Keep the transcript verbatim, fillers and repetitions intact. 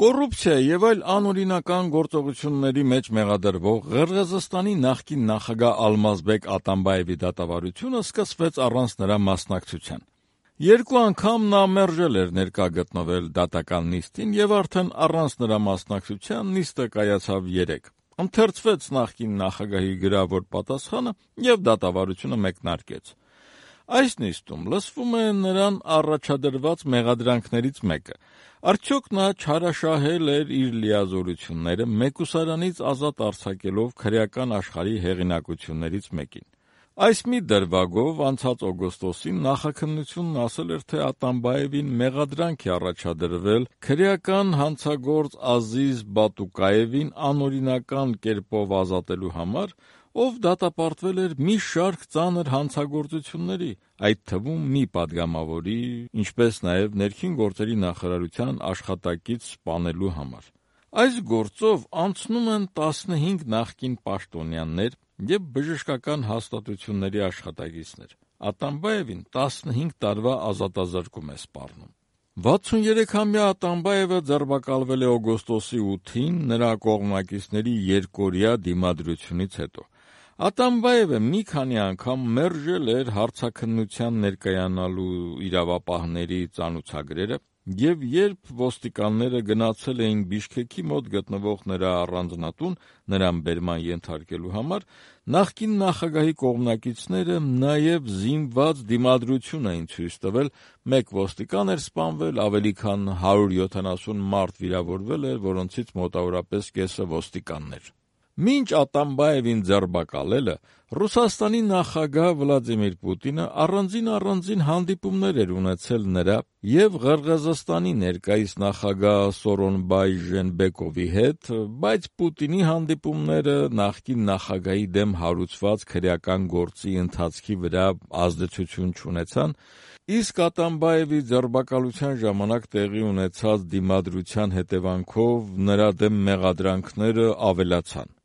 Կոռուպցիա եւ այլ անօրինական գործողությունների մեջ մեղադրվող Ղրղըզստանի նախկին նախագահ Ալմազբեկ Ատամբաևի դատավարությունը սկսվեց առանց նրա մասնակցության։ Երկու անգամ նա մերժել էր ներկա գտնվել դատական նիստին եւ արդեն առանց նրա մասնակցության նիստը կայացավ երեկ։ Ընթերցվեց նախկին նախագահի գրավոր պատասխանը եւ դատավարությունը մեկնարկեց։ Այս նիստում լսվում է նրան առաջադրված մեղադրանքներից մեկը։ Արդյոք նա չարաշահել էր իր լիազորությունները մեկուսարանից ազատ արձակելով քրեական աշխարհի հեղինակություններից մեկին։ Այս մի դրվագով անցած օգոստոսին նախաքննությունն ասել էր, թե Ատամբաևին մեղադրանք է առաջադրվել քրեական հանցագործ Ազիզ Բատուկաևին անօրինական կերպով ազատելու համար, ով դատապարտվել էր մի շարք ծանր հանցագործությունների, այդ թվում մի պատգամավորի, ինչպես նաև ներքին գործերի նախարարության աշխատակից սպանելու համար։ Այս գործով անցնում են տասնհինգ նախկին պաշտոնյաներ եւ բժշկական հաստատությունների աշխատակիցներ։ Ատամբաևին տասնհինգ տարվա ազատազրկում է սպառնում։ վաթսուներեքամյա Ատամբաևը ձերբակալվել է օգոստոսի ութին նրա կողմնակիցների երկօրյա դիմադրությունից հետո։ Ատամբաևը մի քանի անգամ մերժել էր հարցաքննության ներկայանալու իրավապահների ծանուցագրերը, եւ երբ ոստիկանները գնացել էին Բիշքեքի մոտ գտնվող նրա առանձնատուն նրան բերման ենթարկելու համար, նախկին նախագահի կողմնակիցները նաեւ զինված դիմադրություն էին ցույց տվել, մեկ ոստիկան էր սպանվել, ավելի քան հարյուր յոթանասուն մարդ վիրավորվել էր, որոնցից մոտավորապես կեսը ոստիկաններ։ Մինչ Ատամբաևին ձերբակալելը Ռուսաստանի նախագահ Վլադիմիր Պուտինը առանձին-առանձին հանդիպումներ էր ունեցել նրա եւ Ղրղըզստանի ներկայիս նախագահ Սորոնբայ Ժենբեկովի հետ, բայց Պուտինի հանդիպումները նախկին նախագահի դեմ հարուցված քրեական գործի ընթացքի վրա ազդեցություն չունեցան, իսկ Ատամբաևի ձերբակալության ժամանակ տեղի ունեցած դիմադրության հետևանքով նրա դեմ մեղադրանքները ավելացան։